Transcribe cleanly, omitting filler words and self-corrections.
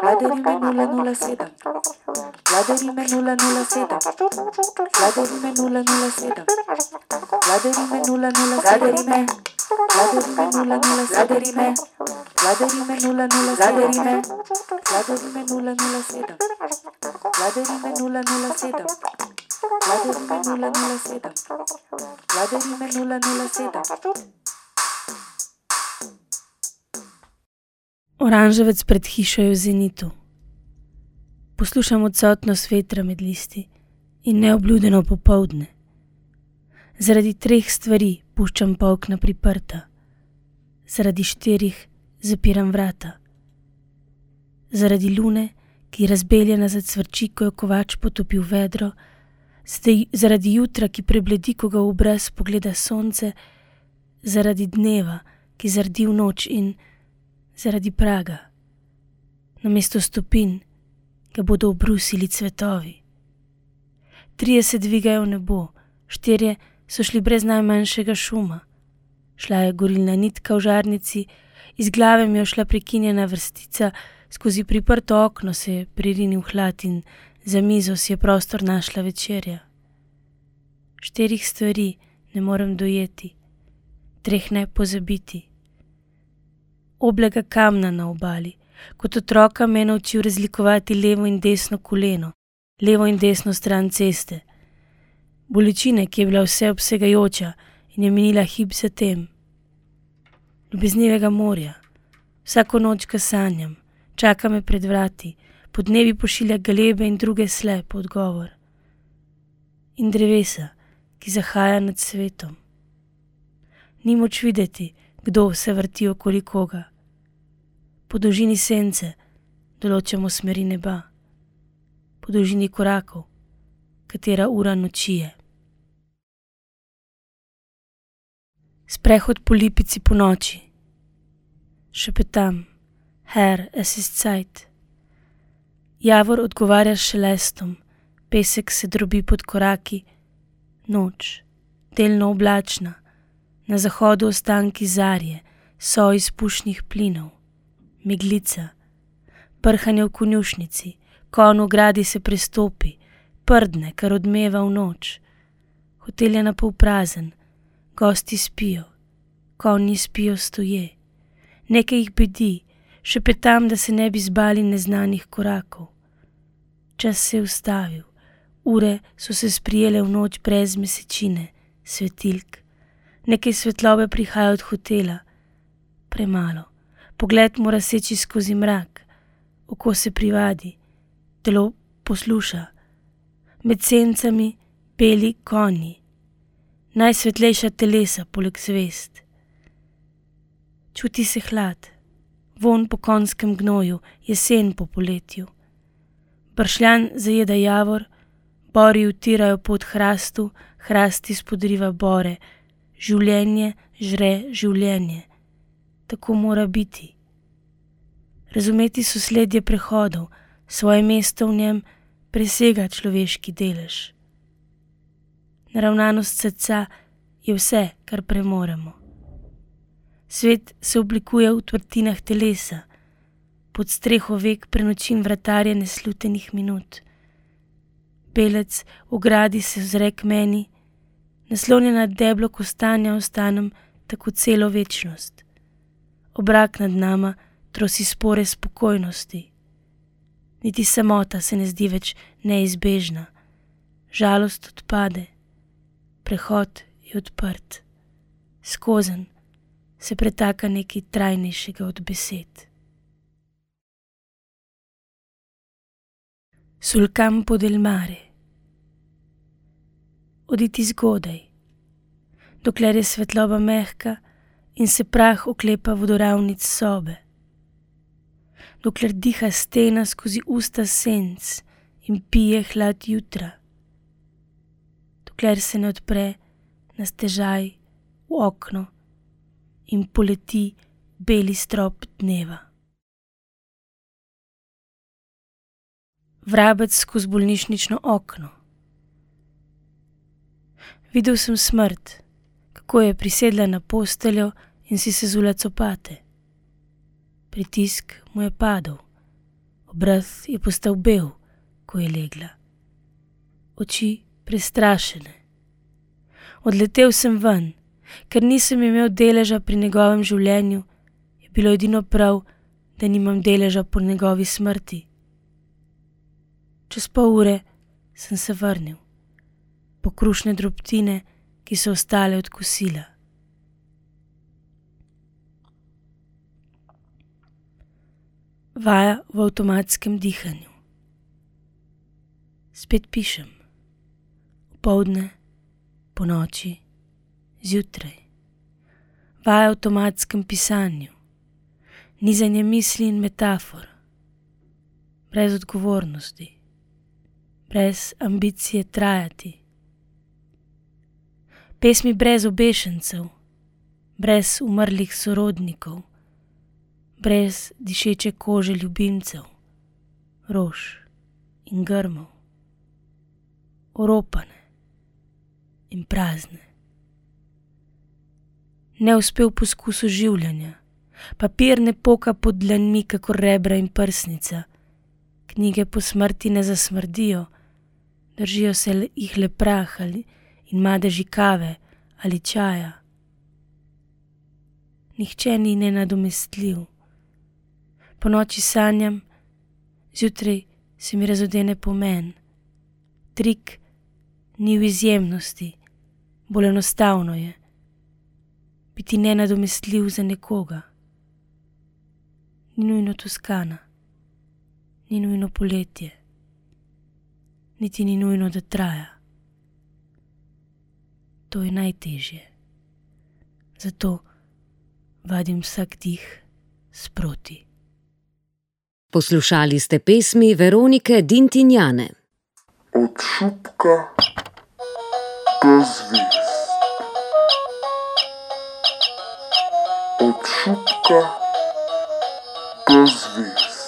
Vladarime 007. Vladarime 007. Vladarime 007. Vladarime 007. Vladarime 007. Vladarime 007. Vladarime 007. Vladarime 007. Vladarime 007. Vladarime 007. Oranževec pred hišo je v zenitu. Poslušam odsotnost vetra med listi in neobljudeno popoldne. Zaradi 3 stvari puščam okna priprta. Zaradi 4 zapiram vrata. Zaradi lune, ki razbeljena zacvrči, ko jo kovač potopi v vedro. Zaradi jutra, ki prebledi, ko ga v obraz pogleda sonce. Zaradi dneva, ki zardi v noč, in zaradi praga. Namesto stopinj ga bodo obrusili cvetovi. 3 se dvigajo v nebo, 4 so šli brez najmanjšega šuma. Šla je gorilna nitka v žarnici, iz glave mi je šla prekinjena vrstica, skozi priprto okno se je pririnil hlad in za mizo si je prostor našla večerja. 4 stvari ne morem dojeti, 3 ne pozabiti. Oblega kamna na obali. Kot otroka me je naučil razlikovati levo in desno koleno, levo in desno stran ceste. Bolečine, ki je bila vseobsegajoča in je minila hip za tem. Ljubeznivega morja. Vsako noč ga sanjam, čaka me pred vrati, podnevi pošilja galebe in druge slep odgovor. In drevesa, ki zahaja nad svetom. Ni moč videti, kdo se vrti okoli koga. Po dolžini sence določamo smeri neba, po dolžini korakov, katera ura noči je. Sprehod po lipici po noči. Šepetam, Herr, es ist Zeit. Javor odgovarja s šelestom, pesek se drobi pod koraki. Noč, delno oblačna, na zahodu ostanki zarje, so izpušnih plinov. Meglica, prhanje v konjušnici, konj v gradi se prestopi, prdne, kar odmeva v noč. Hotel je napol prazen, gosti spijo, konji spijo stoje. Nekaj jih bedi, šepetam, da se ne bi zbali neznanih korakov. Čas se je ustavil, ure so se sprijele v noč brez mesečine, svetilk. Nekaj svetlobe prihaja od hotela, premalo. Pogled mora seči skozi mrak, oko se privadi, telo posluša. Med sencami beli konji, najsvetlejša telesa poleg zvezd. Čuti se hlad, vonj po konjskem gnoju, jesen po poletju. Bršljan zajeda javor, bori utirajo pot hrastu, hrast izpodriva bore. Življenje žre življenje. Tako mora biti. Razumeti sosledje prehodov, svoje mesto v njem presega človeški delež. Naravnanost srca je vse, kar premoremo. Svet se oblikuje v tvrtinah telesa, pod streho vek prenočim vratarje neslutenih minut. Belec v gradi se ozre k meni, naslonjena deblo kostanja ostanem tako celo večnost. Obrak nad nama trosi spore spokojnosti. Niti samota se ne zdi več neizbežna. Žalost odpade. Prehod je odprt. Skozenj se pretaka nekaj trajnejšega od besed. Sul campo del mare. Oditi zgodaj, dokler je svetloba mehka in se prah oklepa vodoravnic sobe. Dokler diha stena skozi usta senc in pije hlad jutra. Dokler se ne odpre na stežaj v okno in poleti beli strop dneva. Vrabec skozi bolnišnično okno. Videl sem smrt, kako je prisedla na posteljo in si sezula copate. Pritisk mu je padel, Obraz je postal bel, ko je legla. Oči prestrašene. Odletel sem ven, ker nisem imel deleža pri njegovem življenju, je bilo edino prav, da nimam deleža po njegovi smrti. Čez pol ure sem se vrnil, po krušne drobtine, ki so ostale od kosila. Vaja v avtomatskem dihanju. Spet pišem. Opoldne, ponoči, zjutraj. Vaja v avtomatskem pisanju. Nizanje misli in metafor. Brez odgovornosti. Brez ambicije trajati. Pesmi brez obešencev, brez umrlih sorodnikov, brez dišeče kože ljubimcev, rož in grmov, oropane in prazne. Neuspel poskus oživljanja, papir ne poka pod dlanmi kakor rebra in prsnica, knjige po smrti ne zasmrdijo, držijo se jih le prah in madeži kave ali čaja. Nihče ni nenadomestljiv. Po noči sanjam, zjutraj se mi razodene pomen. Trik ni v izjemnosti, bolj enostavno je biti nenadomestljiv za nekoga. Ni nujno Toskana, ni nujno poletje, niti ni nujno, da traja. To je najtežje. Zato vadim vsak dih sproti. Poslušali ste pesmi Veronike Dintinjane. Od šupka do zvezd. Od šupka do zvezd.